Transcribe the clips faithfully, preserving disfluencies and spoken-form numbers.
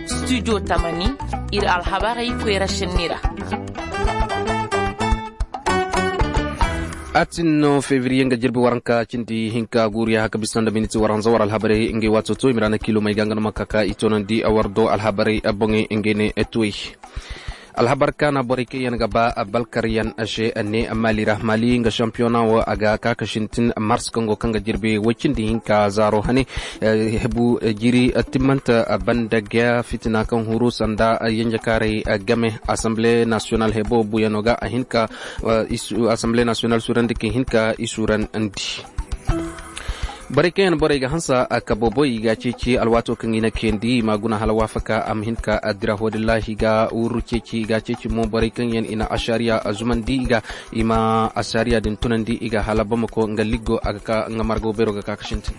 Studio tamani, ir alhabarey koyra sinni ra. Atin no fevriye nga jirbi waranka cindi hinka guuriya haka bisa nda miniti waranza war alhabarey ngey waato to i ma ra na kiilomey ga nga no ma ka ka i toonandi war do alhabarey boŋey ngey ne tuwey. Alhabar kaana borey kaŋ yaŋ ga ba balkaryaŋ se ne maali ra maali nga sampiyona wo a ga ka ka sintin mars kaŋ go kaŋ ga jirbi woy cindi hinka zaaro hane. Hebu jiri timmanta banda ga fitina kaŋ huru sanda yanjakaarey game assemble national hebo buyano ga a hin ka assemble national surandi ka hin ka i surandi. Borey kaŋ yaŋ borey ga hansa a ka bobo i ga ceeci alwaato kaŋ i na kayandi i ma guna hala waafaka a ma hin ka dira hoodillahi ga wurru ceeci i ga ceeci mo borey kaŋ yaŋ i na ašariya a zumandi i ga i ma ašariya din tunandi i ga hala bamako nga liggo a ga ka nga margo beero ga ka ka sintin.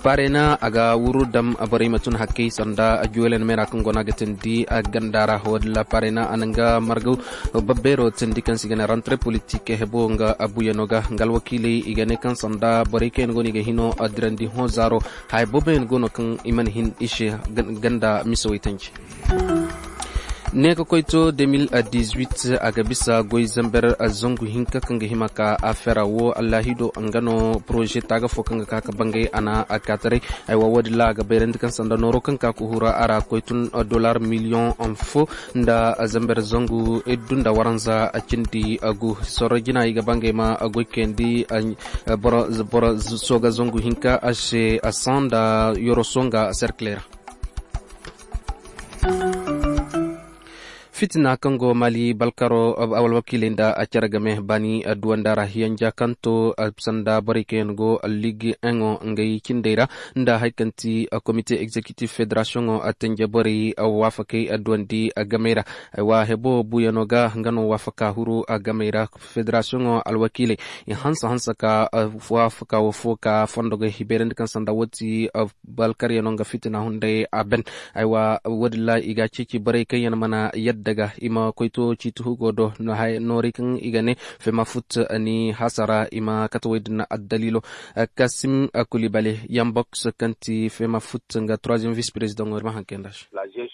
Parena a ga wurru dam borey ma tun hakkey sanda juwelen meera kaŋ go no a ga tindi a ganda ra hoodilla parena a na nga margo babbeero tindi kaŋ si ga ne rantre politik hebo nga abuyano ga nga alwakiiley i ga ne kaŋ sanda borey kaŋ yaŋ go no i ga hino dirandi hõ zaaro haya booboyaŋ go no kaŋ i mana hin i se ganda misawey tanji. Ne ka koy to deux mille dix-huit a ga bisa goy zamber zangu hinka kaŋ ga hima ka afera wo allahido nga no poroze taaga fo kaŋ ga ka ka bangay a na a kaataray. Aywa woodin ra a ga bayrandi kaŋ sanda nooro kaŋ ka ka hura a ra koy tun dollar miliyoŋ fo nda zamber zangu iddu nda waranza cindi gu sorro jina i ga bangay ma goy kayandi boro sooga zangu hinka a se a san nda yoro songa serkile ra. Fitina kaŋ go mali balkaro alwakiiley nda a care game baani duwanda ra hiyanja kaŋ to sanda borey kaŋ yaŋ go liigi eŋo ngey cindey ra nda hari kaŋ ti komite egzekitif federasiyoŋo tanje borey waafakey duwandi gamey ra. Aywa hebo buyano ga nga no waafaka huru gamey ra federasiyoŋo alwakiiley i hanse hanse ka waafaka wo fo ka fondo ga hibeerandi kaŋ sanda wo ti balkaryano nga fitina hunday a ben. Aywa woodin ra i ga a ceeci borey kaŋ yaŋ mana yadda ga i ma koy to ciiti hugo do noorey kaŋ i ga ne fema fut ni hasara i ma kate woy din addaliilo. Kasim kulibale yamboks kaŋ ti fema fut nga troisième vice président ŋo ir ma haŋ kay nda se.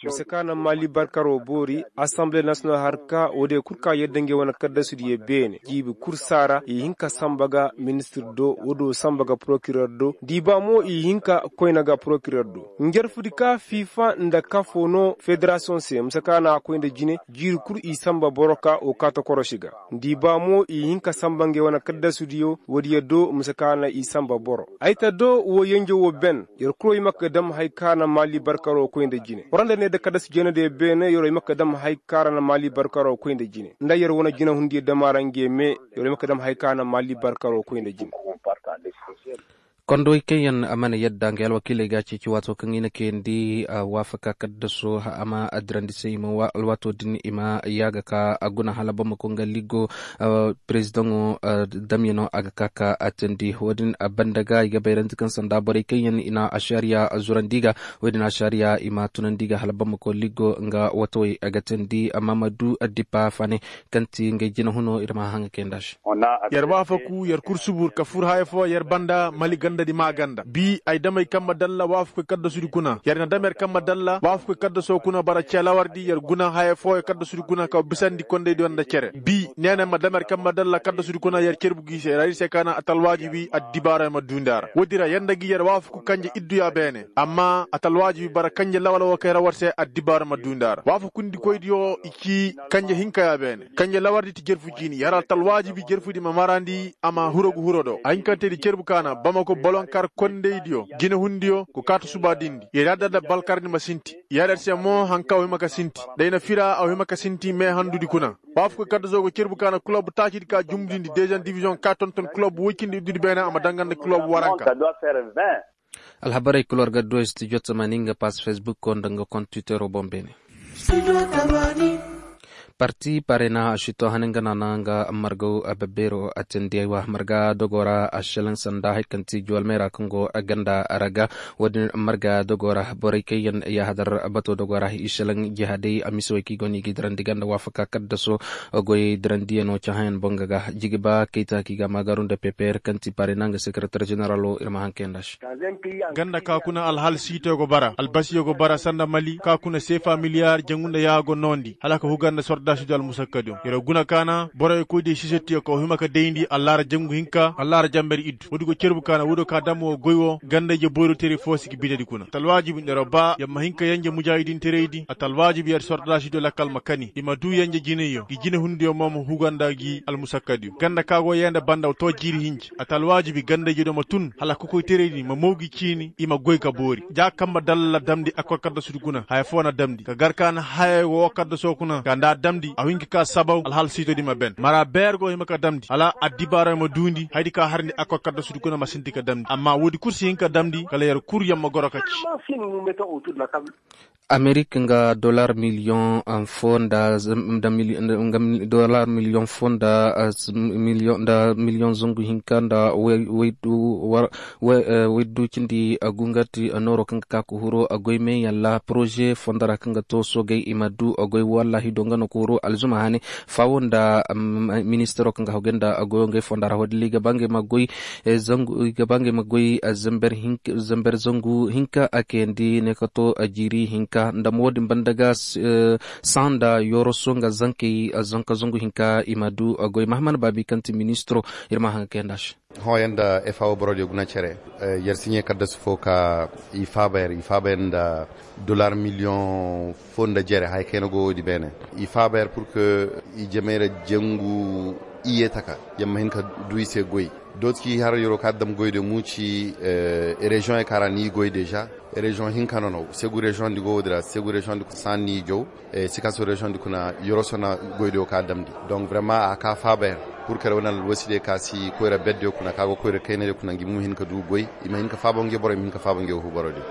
Mise ka naŋ mali barkaro boori assemble national har ka woodiyo kul ka yadda ngey wane kaddasu diyo beene jiibi kul saara i hin ka samba ga ministir do woodiyo samba ga procureur do diiba mo i hin ka koyna ga procureur do. Njarfudi ka fifa nda kafo no federasiyoŋ se mise ka naŋ a koy nda jine jiiri kul i samba boro ka wo kaata korosi ga. Diiba mo i hin ka samba ngey wane kaddasu diyo woodiyo do mise ka naŋ i samba boro ay ta do wo yenjo wo ben. Yer kul wo i ma ka dam hari ka naŋ mali barkaro koy nda jine war nda ne da kaddasu jeenadiyo beene yer wo i ma ka dam hari ka ra naŋ mali barkaro koy nda jine nda yer wane jinehundiyo dam a ra ngey me. Yer wo i ma ka dam hari ka naŋ mali barkaro koy nda jine. Kondowey kaŋ yaŋ a mana yadda ngey alwakiiley ga a ceeci waato kaŋ i na kayandi waafaka kaddaso a ma a dirandi se i ma alwaato din i ma yaaga ka a guna hala bamako nga ligo. Perezidaŋo damyano a ga ka ka a teendi wo-din a banda ga i ga bayrandi kaŋ sanda borey kaŋ yaŋ i na ašariya zurandi ga. Wo-din ašariya i ma tunandi ga hala bamako ligo nga watawey a ga teendi mamadu dipa fane kaŋ ti ngey jinahuno ir ma haŋa kayndi a se. Yer waafaku yer kul subur ka fur haya fo yer banda mali gandadi maa ganda bi ay damey kaŋ ma dalla waafakoy kaddasudi kuna yer na dam yer kaŋ ma dalla waafakoy kaddaso kuna bara cee lawardi yer guna haya fooyo kaddasudi kuna ka bisandi kondaydiyo nda cere bi neene ma dam yer kaŋ ma dalla kaddasudi kuna yer cerbu gi se ra ir se ka na atalwaajibi addibaara ma duundi a ra woodi ra yer nda gi yer waafaku kanje idduya beene amma atalwaajibi bara kanje lawal wo kay ra war se addibaara ma duundi a ra waafakundikoydiyo i ci kanje hinka ya beene kanje lawardi ti jerfu jiini yer altalwaajibi jerfudi ma marandi a ma huro ga huro do a hinkantedi cerbu ka na bamako bolonkar kondaydiyo jinehundiyo go kaata suba dindi yer yadda nda balkardi ma sinti yer yer se mo haŋ kaŋ a hima ka sinti da ay na fira a hima ka sinti meehandudi kuna waafakoy kaddaso go cerbu ka na kulob taacidi ka jumbudindi deziyeŋ diviziyoŋ ka tonton kulob woy cindi iddudi beene a ma danga nda kulob waranka. Alhabarey kul war ga du studio tamani nga pass facebook ko nda nga kont twittero boŋ beene. Parti parena a si to hane nga naana nga margaw babbeero a tindi aywa marga dogo ra a selaŋ sanda hari kaŋ ti juwalmey ra kaŋ go ganda ra ga. Wo-din marga dogo ra borey kaŋ yaŋ yahadar bato dogo ra i selaŋ jihadey a misi wey kaŋ i go no i ga i dirandi ganda waafaka kaddaso goyey dirandiyano cahãyaŋ boŋ ga ga jigiba kayta kaŋ i ga a maagaru nda peper kaŋ ti parena nga sekeretar jeneralo ir ma haŋ kayanda se. Ganda ka kuna alhal siitoyo go bara albasiyo go bara sanda mali ka kuna seefa miliyar jangu nda yaago noondi hala ka huga nda sordaasidiyo almusakkadiyo yer guna kaana boroyo koydiyo sisettiyo ka wa hima ka dayndi allaara jangu hinka allaara jamber iddu woodi go cerbu kaana woodiyo ka dam wo goy wo ganda-ije boyro teray fo si ga binedi kuna ata alwaajib nda yer ba yer ma hin ka yenje mujaahidin teraydi ata alwaajib yer sordaasidiyo lakkal ma kani i ma duu yenje jinayyo ngi jinehundiyo mo ma huga nda ngi almusakkadiyo ganda ka go yee nda banda wa too jiiri hinja ata alwaajibi ganda-ijediyo ma tun hala kokoyteraydi ma mow gi ciini i ma goy ka boori ja kamba dalla damndi akkol kaddasudi kuna haya foo na damndi ka gar ka na hayey woo kaddasoo kuna ka nda a damndi a hin ka ka sabaw alhal siitodi ma ben mara beer go hima ka damndi hala addibaarayo ma duundi hayadi ka harndi akkol kaddasudi kuna ma sinti ka damndi amma woodi kul si hin ka damndi kala yer kul yer ma goro ka ci. Amerik nga dolar miliyoŋ foo nda dolar miliyoŋ foo nda miliyoŋ zangu hinka nda waydu cindi gu nga ti nooro kaŋ ga ka ka huru goy meeyaŋ ra poroze fondo ra kaŋ ga to soogey i ma du goy wallahi do nga no ka huru alzuma hane faawo nda ministaro kaŋ ga hagu nda goyo ngey fondo ra wadilla i ga ba ngey ma goy zangu i ga ba ngey ma goy zamber zangu hinka a kayandi ne ka to jiiri hinka nda mo wo-din banda ga sanda yoroso nga zankey zanka zangu hinka i ma du goy mahaman baabi kaŋ ti ministiro ir ma haŋ ga kayanda se. Hõ yer nda fao borodiyo guna cere yer siɲe kaddasu fo ka i faaba yer i faaba yer nda dolar miliyoŋ fo nda jere haya kayna go wo-di beene i faaba yer pur que i jamey ra jangu iye taka yer ma hin ka du i se goy dooti ki har yeroo ka dam goydiyo muuci reziyoŋey ka ra ni goy deeza reziyoŋ hinka no no segu reziyoŋ di go wo-di ra segu reziyoŋ di kuna saani ni jow sikaso reziyoŋ di kuna yeroo sona goydiyo ka damndi donc vraiment a ka faaba yer pur que wane alwasidiyo ka si koyra beddiyo kuna ka go koyra kaynadiyo kuna ngi mo hin ka du goy i ma hin ka faaba ngi boro i ma hin ka faaba ngi fu borodiyo.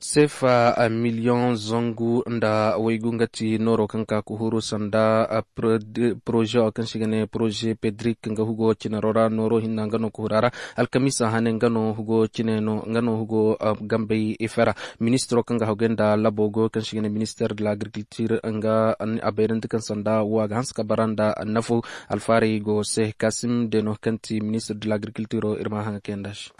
Seefa miliyoŋ zangu nda waygu nga ti nooro kaŋ ka ka huru sanda poroze wo kaŋ se i ga ne poroze pedrik nga hugo cinaro ra nooro hinna nga no ka huru a ra alkamiisa hane nga no hugo cine no nga no hugo gambey ife ra. Ministiro kaŋ ga hagu nda labo go kaŋ se i ga ne minister de l'agriculture nga a bayrandi kaŋ sanda wo a ga hanse ka bara nda nafo alfaarey go se kasim deno kaŋ ti minister de l'agriculture ir ma haŋa kayanda se.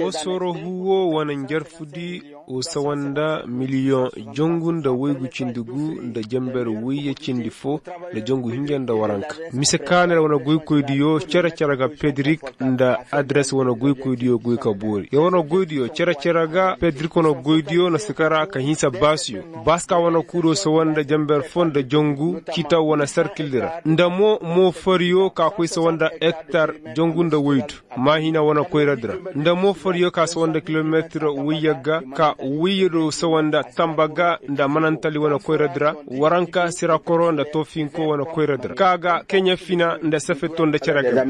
Wo sooro huwo wane njarfudi wo sawa nda miliyoŋ jangu nda waygu cindi gu nda jamber wayye cindi fo nda jangu hinja nda waranka mise kaanay ra wane goykoydiyo cere-cere ga pedrik nda adres wane goykoydiyo goy ka boori yer wane goydiyo cere-cere ga pedrik wane goydiyo na si kara ka hinsa baasiyo baaska wane kuudo sawa nda jamber fo nda jangu citaw wane sarkildi ra nda mo moofariyo ka koy sawa nda ektar jangu nda waydu maahina wane koyradi ra nda moofariyo ka sawa nda kilometir wayye ga ka wayye do sawa nda tamba ga nda manantali wane koyradi ra waranka sirakoro nda toofinko wane koyradi ra ka ga keɲe fina nda safeto nda cere ga.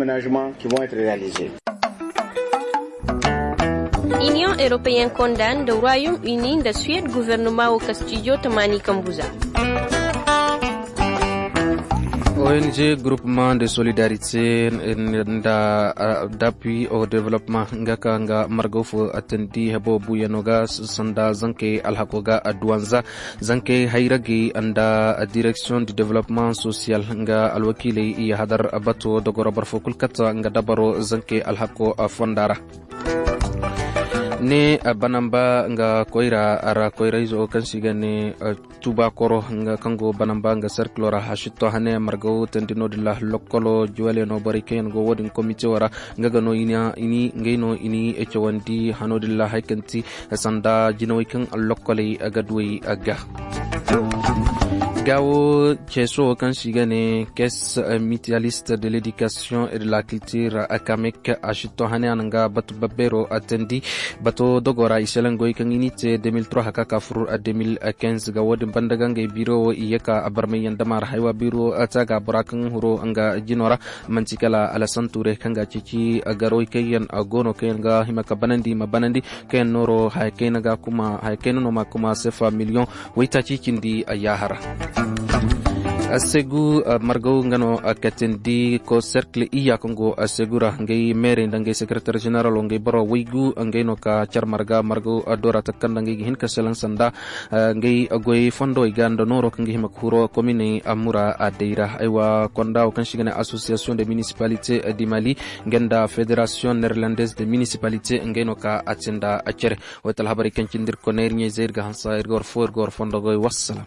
Iniyoŋ eropeyen konda nda royaume uni nda suwed guvernoma wo kastijo tamaani kambu za. Ong groupement de solidarité nda d'appui au développement nga ka nga margaw fo atandi hebo buyano ga sanda zankey alhako ga aduwanza zankey hayragey nda direction du développement social nga alwakiiley i hadar bato dogoro barfo kul kata nga dabaro zankey alhako fonda ra. Ne banamba nga koyra ra koyrayzo kaŋ si ga ne tuba koro nga kaŋ go banamba nga serkilo ra hasitto hane margaw tandi no-din ra lokkolo juwaleno borey kaŋ yaŋ go wo-din komite wo ra nga ga no ini ngey no ini cawandi hano-din ra hari kaŋ ti sanda jinawey kaŋ lokkoley ga duwey ga. Gaawo ceeso wo kaŋ se i ga ne caisse mutualiste de l'éducation et de la culture, akamek, a si to hane a na nga batu babbeero teendi. Bato dogo ra i selengoy kaŋ i n'i te deux mille trois haka ka fur deux mille quinze ga. Wo-din banda ga ngey biiro wo i ye ka barmayyaŋ dama ra haywa biiro te a ga bora kaŋ huro nga jino ra. Manti kala Alasan Ture kaŋ ga ceeci garawey kaŋ yaŋ go no kaŋ yaŋ ga hima ka banandi i ma banandi kaŋ yaŋ nooro haya kayna ga kuma haya kayna no ma kuma sefa miliyoŋ waytaaci cindi a yaahara. Segu margaw nga no katindi ko serkle iya kaŋ go segu ra ngay meerey nda ngay sekretar ženeralo ngay boro waygu ngay no ka car marga margaw dora takanda ngay ga hin ka selan sanda ngay goy fondo ga nda noro kaŋ ga hima ka huro komine amura adayra aywa konda wo kaŋ si ga ne association de municipalité du mali nga nda fédération néerlandaise de municipalité ngay no ka atinda cere. Way talhabaray kaŋ cindi ir koney ir ɲey zay ir ga hansa ir ga war fo ir ga war fondo goy wassalam.